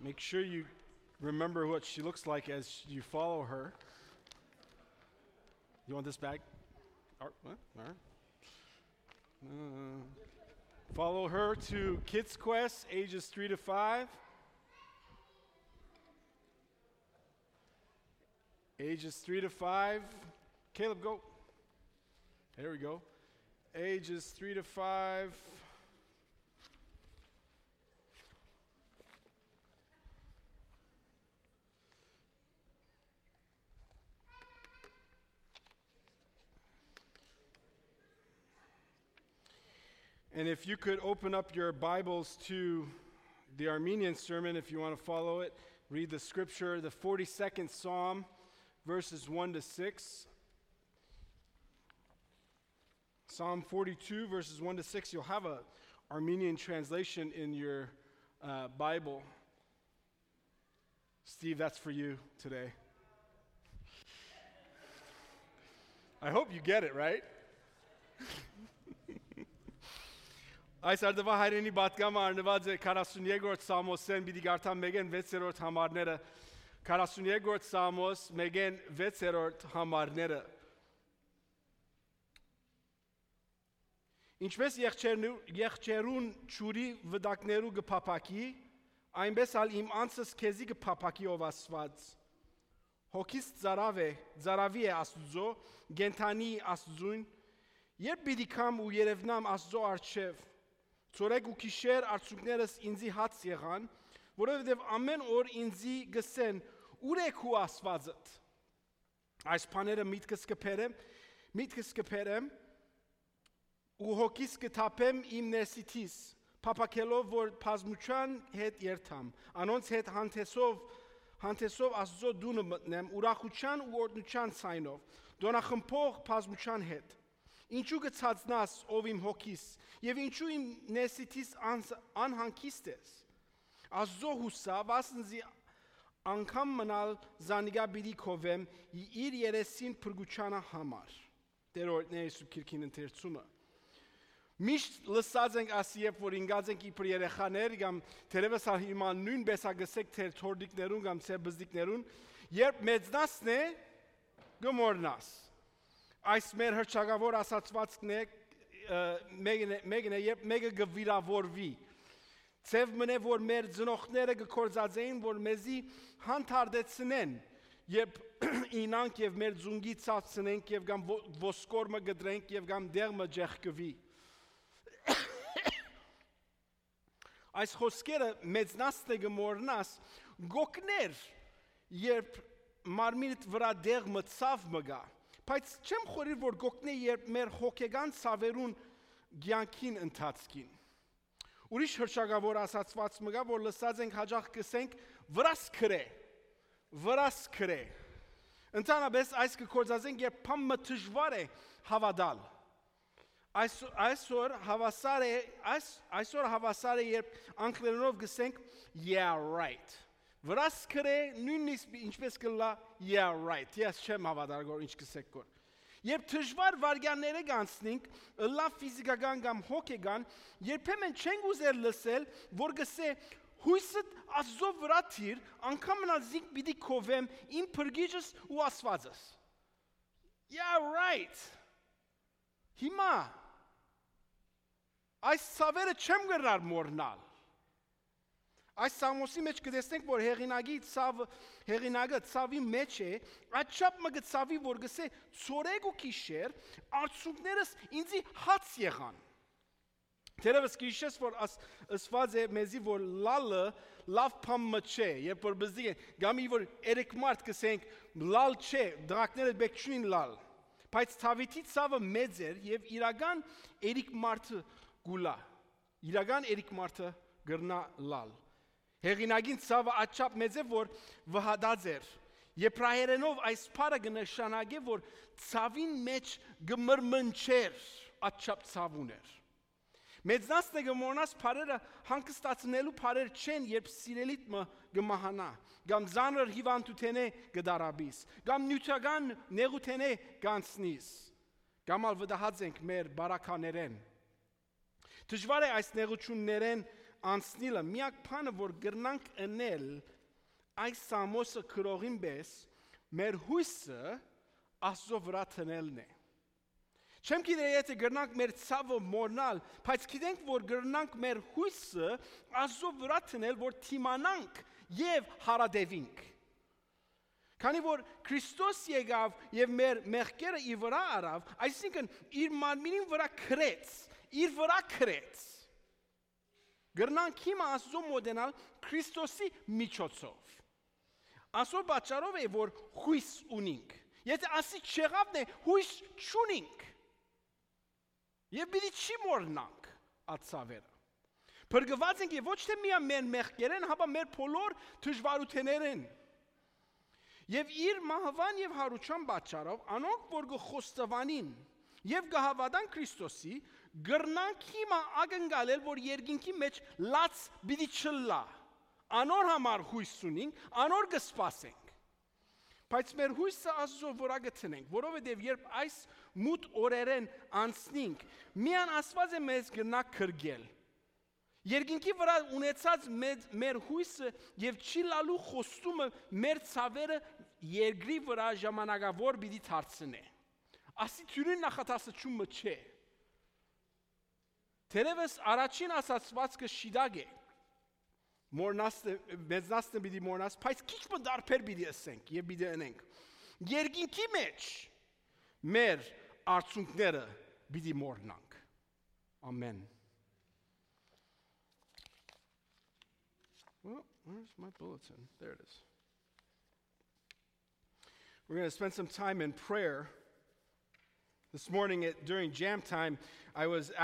Make sure you remember what she looks like as you follow her. You want this bag? All right. Follow her to Kids Quest, ages 3 to 5. Ages 3 to 5. Caleb, go. There we go. Ages 3 to 5. And if you could open up your Bibles to the Armenian sermon, if you want to follow it, read the scripture, the 42nd Psalm, verses 1 to 6. Psalm 42, verses 1 to 6. You'll have an Armenian translation in your Bible. Steve, that's for you today. I hope you get it, right? Այս արդվա հայրենի բատկամը արնված է 42-րդ Սամոսեն պիտի գարտամ մեգեն 6-րդ համարները 42-րդ Սամոս մեգեն 6-րդ համարները Ինչպես եղջերուն ճուրի վդակներու գփափակի այնպես ալ իմ անձս քեզի գփափակի ով Աստված Հոգիս ծարավի է Աստուծո գենթանի Աստծուն երբ պիտի կամ ու երևնամ Աստծո առջև Ծորեկ ու քիշեր արցունքներս ինձի հաց եղան, որովհետև ամեն օր ինձի գսեն ուր է քու Աստվածդ։ Այս բաները միտքս կփերեմ ու հոգիս կթափեմ իմ ներսիթիս, փափակելով որ բազմության հետ երթամ, անոնց հետ հանդեսով Աստծո դունը մտնեմ, ուրախության ու օրհնության ցայնով, դոնախմբող բազմության հետ։ Ինչու գցածնաս ով իմ հոգիս եւ ինչու իմ ներսիթիս անհանգիստ ես Աստծո հուսա վասնզի անգամ մնալ զանիգա բիդի քովեմ իր երեսին փրկուչանա համար Տերորն Հիսուս Քրիստոսին ընթերցումը Միշտ լսած ենք ասի երբ որ ինգած ենք իբր երեխաներ կամ թերևս հիմա նույնպես ագսեք թեր թորդիկներուն կամ ցե բզդիկներուն երբ մեծնասն է գմորնաս Այս մեր հրճագավոր ասացվածքն է մեկն է երբ մեկը գվիրավորվի Ցև մնե որ մեր ծնողները գործածեին որ մեզի հանդարտեցնեն երբ ինանք եւ մեր ձունգի ցածնենք եւ կամ ոսկորմը գդրենք եւ կամ դեղը ջեղկվի Այս խոսքերը մեծնասը գմորնաս գոկներ երբ մարմինդ վրա դեղը ցավ մգա Բայց չեմ խորիր որ գոկնե երբ մեր հոգեգան ցավերուն ցանկին ընթացքին Ուրիշ հրճագավոր ասացված մգա որ լսած ենք հաջող կսենք վրաս քրե Ընդհանրապես այս կկործածենք երբ փամը դժվար է հավատալ Այսօր հավասար է երբ անգլերենով գսենք yeah right Վրաս քրե նույնիսկ ինչպես կլա yeah right ես չեմ հավատալ որ ինչ կսեք կոր Երբ դժվար վարյանները գանցնենք լավ ֆիզիկական կամ հոգեգան երբեմն չենք ուզել լսել որ գսե հույսդ Աստծո վրա թիր անգամ մնալ զինք պիտի քովեմ իմ փրկիչս ու Աստվածս Yeah right Հիմա այս ցավերը չեմ գնար մորնալ Այս Սամոսի մեջ կտեսնենք, որ հեղինակը ցավի մեջ է, այդչափ մը ցավի, որ գսե ծորեկ ու քիշեր, արցունքներս ինձի հաց եղան։ Թերևս քիշես, որ ասված է մեզի, որ լալը լավ փամը չէ, երբ որ բզդի է, գամի որ երեք մարդ կսենք, լալ չէ, դրակները բեք չունին լալ։ Բայց ցավիթի ցավը մեծ էր եւ իրական երեք մարդը գուլա։ Իրական երեք մարդը գրնա լալ։ Հեղինակին ցավը աչափ մեծ է որ վհադած էր Եբրայերենով այս բառը կնշանակե որ ցավին մեջ գմրմնչեր աչափ ցավ ուներ Մեծնասը գմորնաս բառերը հանգստացնելու բառեր չեն երբ սիրելիդ մը գմահանա կամ զանր հիվանդութենե գդարաբիս կամ նյութական նեղութենե գանցնիս կամ ալ վդահած ենք մեր բարականերեն Դժվար է այս նեղություններեն անցնիլը միակ բանը, որ գրնանք ընել այս Սամոսը քրողին պես, մեր հույսը Աստծո վրա տնելն է։ Չեմ գիտե եթե գրնանք մեր ցավը մոռնալ, բայց գիտենք, որ գրնանք մեր հույսը Աստծո վրա տնել, որ թիմանանք եւ հարադեվինք։ Քանի որ Քրիստոս եկավ եւ մեր մեղքերը իր վրա արավ, այսինքն իր մարմինին վրա քրեց, իր վրա քրեց։ Գրնանք հիմա Աստծո մոդենալ Քրիստոսի միջոցով։ Աստծո պատճառով է, որ հույս ունենք։ Եթե ասի չեղավն է, հույս չունենք։ Եվ պիտի չի մոռնանք ածավերը։ Փրկված ենք եւ ոչ թե միայն մեր մեղքերեն, հապա մեր բոլոր դժվարություններն։ Եվ իր մահվան եւ հարության պատճառով անոնք, որ գխոստովանին եւ գահավատան Քրիստոսի, գրնանք հիմա ակնկալել, որ երկինքի մեջ լաց պիտի չլա։ Անոր համար հույս ունենք, անոր կսպասենք։ Բայց մեր հույսը Աստծո վրա գտնենք, որովհետև երբ այս մութ օրերեն անցնենք, միան Աստված է մեզ գնա քրգել։ Երկինքի վրա ունեցած մեր հույսը եւ չի լալու խոստումը մեր ցավերը երկրի վրա ժամանակավոր պիտի դարձնե։ Ասի թյուրին նախատասությունը չէ։ Թերևս առաջին ասացվածքը շիդագ է։ Մեծնասն պիտի մորնաս, բայց քիչ մը դարբեր պիտի ասենք եւ պիտի անենք։ Երկինքի մեջ մեր արցունքները պիտի մորնանք։ Amen. Well, where's my bulletin? There it is. We're going to spend some time in prayer. This morning during jam time, I was